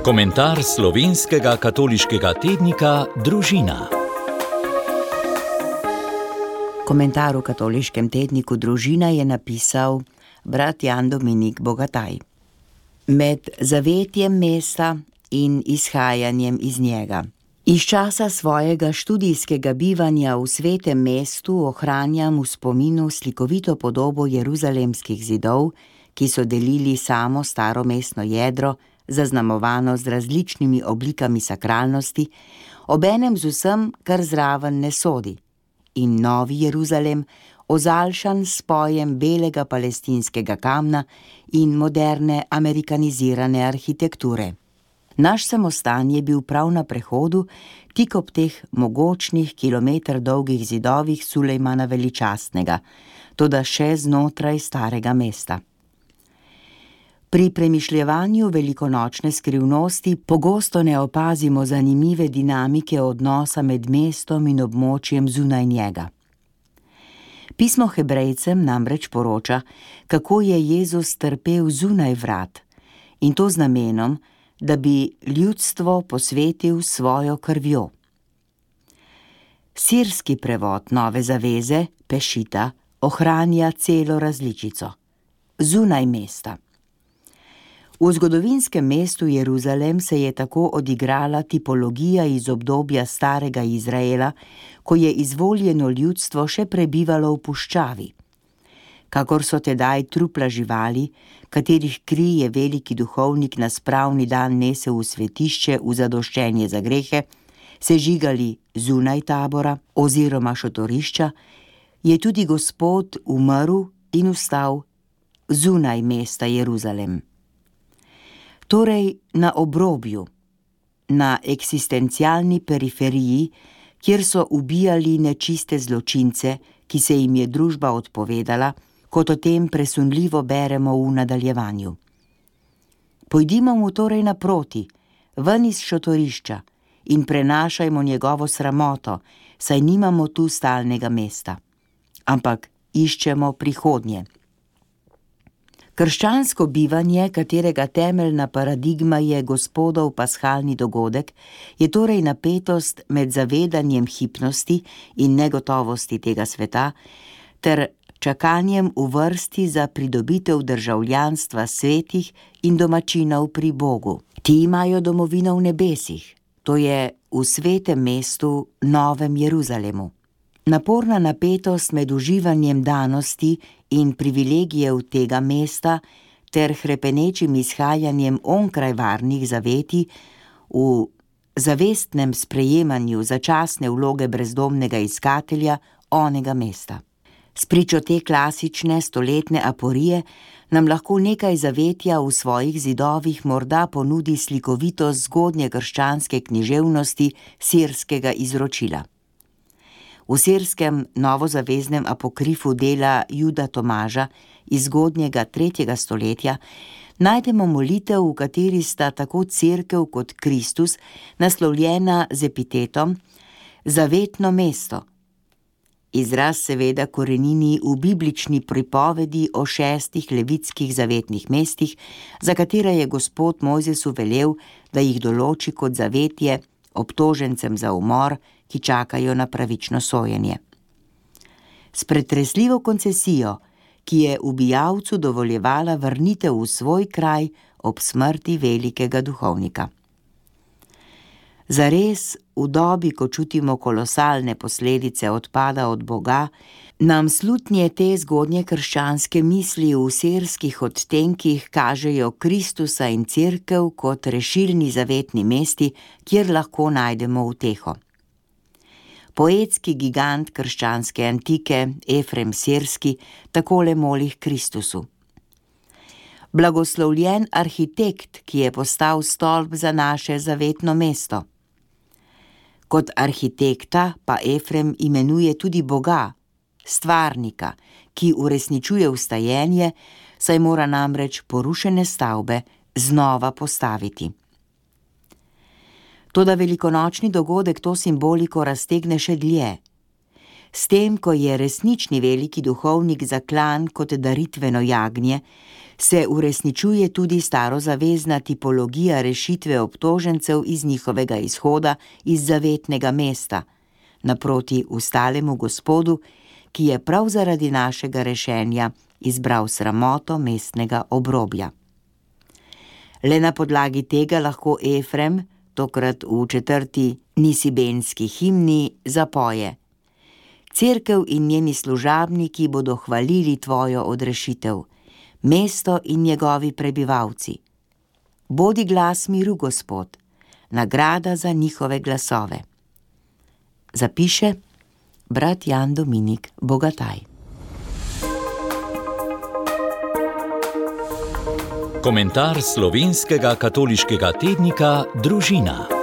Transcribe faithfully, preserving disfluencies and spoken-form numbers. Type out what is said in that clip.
Komentar slovenskega katoliškega tednika Družina. Komentar v katoliškem tedniku Družina je napisal brat Jan Dominik Bogataj. Med zavetjem mesta in izhajanjem iz njega. Iz časa svojega študijskega bivanja v svetem mestu ohranjam v spominu slikovito podobo jeruzalemskih zidov, ki so delili samo staro mestno jedro, zaznamovano z različnimi oblikami sakralnosti, obenem z vsem, kar zraven ne sodi, in novi Jeruzalem, ozaljšan s spojem belega palestinskega kamna in moderne amerikanizirane arhitekture. Naš samostan je bil prav na prehodu, tik ob teh mogočnih kilometer dolgih zidovih Sulejmana Veličastnega, toda še znotraj starega mesta. Pri premišljevanju velikonočne skrivnosti pogosto ne opazimo zanimive dinamike odnosa med mestom in območjem zunaj njega. Pismo Hebrejcem namreč poroča, kako je Jezus trpel zunaj vrat, in to z namenom, da bi ljudstvo posvetil svojo krvjo. Sirski prevod Nove zaveze, Pešita, ohranja celo različico. Zunaj mesta. V zgodovinskem mestu Jeruzalem se je tako odigrala tipologija iz obdobja starega Izraela, ko je izvoljeno ljudstvo še prebivalo v puščavi. Kakor so tedaj trupla živali, katerih kri je veliki duhovnik na spravni dan nesel v svetišče v zadoščenje za grehe, sežigali zunaj tabora oziroma šotorišča, je tudi Gospod umrl in vstal zunaj mesta Jeruzalem. Torej na obrobju, na eksistencialni periferiji, kjer so ubijali nečiste zločince, ki se jim je družba odpovedala, kot o tem presunljivo beremo v nadaljevanju. Pojdimo mu torej naproti, ven iz šotorišča in prenašajmo njegovo sramoto, saj nimamo tu stalnega mesta, ampak iščemo prihodnje. Krščansko bivanje, katerega temeljna paradigma je Gospodov pashalni dogodek, je torej napetost med zavedanjem hipnosti in negotovosti tega sveta ter čakanjem v vrsti za pridobitev državljanstva svetih in domačinov pri Bogu. Ti imajo domovino v nebesih, to je v svetem mestu, Novem Jeruzalemu. Naporna napetost med uživanjem danosti in privilegijev tega mesta ter hrepenečim izhajanjem onkraj varnih zaveti v zavestnem sprejemanju začasne vloge brezdomnega iskatelja onega mesta. Spričo te klasične stoletne aporije nam lahko nekaj zavetja v svojih zidovih morda ponudi slikovitost zgodnje krščanske književnosti sirskega izročila. V sirskem novozaveznem apokrifu dela Juda Tomaža iz zgodnjega tretjega stoletja najdemo molitev, v kateri sta tako cerkev kot Kristus naslovljena z epitetom zavetno mesto. Izraz seveda korenini v biblični pripovedi o šestih levitskih zavetnih mestih, za katera je Gospod Mojzesu velel, da jih določi kot zavetje obtožencem za umor, ki čakajo na pravično sojenje. S pretresljivo koncesijo, ki je ubijalcu dovoljevala vrnitev v svoj kraj ob smrti velikega duhovnika. Zares, v dobi, ko čutimo kolosalne posledice odpada od Boga, nam slutnje te zgodnje krščanske misli v sirskih odtenkih kažejo Kristusa in cerkev kot rešilni zavetni mesti, kjer lahko najdemo uteho. Poetski gigant krščanske antike, Efrem Sirski, takole moli k Kristusu. Blagoslovljen arhitekt, ki je postal stolp za naše zavetno mesto. Kot arhitekta pa Efrem imenuje tudi Boga, stvarnika, ki uresničuje vstajenje, saj mora namreč porušene stavbe znova postaviti. Toda velikonočni dogodek to simboliko raztegne še dlje. S tem, ko je resnični veliki duhovnik zaklan kot daritveno jagnje, se uresničuje tudi starozavezna tipologija rešitve obtožencev iz njihovega izhoda iz zavetnega mesta, naproti ustalemu Gospodu, ki je prav zaradi našega rešenja izbral sramoto mestnega obrobja. Le na podlagi tega lahko Efrem, tokrat v četrti nisibenski himni, zapoje: Cerkev in njeni služabniki bodo hvalili tvojo odrešitev, mesto in njegovi prebivalci. Bodi glas miru, Gospod, nagrada za njihove glasove. Zapiše brat Jan Dominik Bogataj. Komentar slovenskega katoliškega tednika Družina.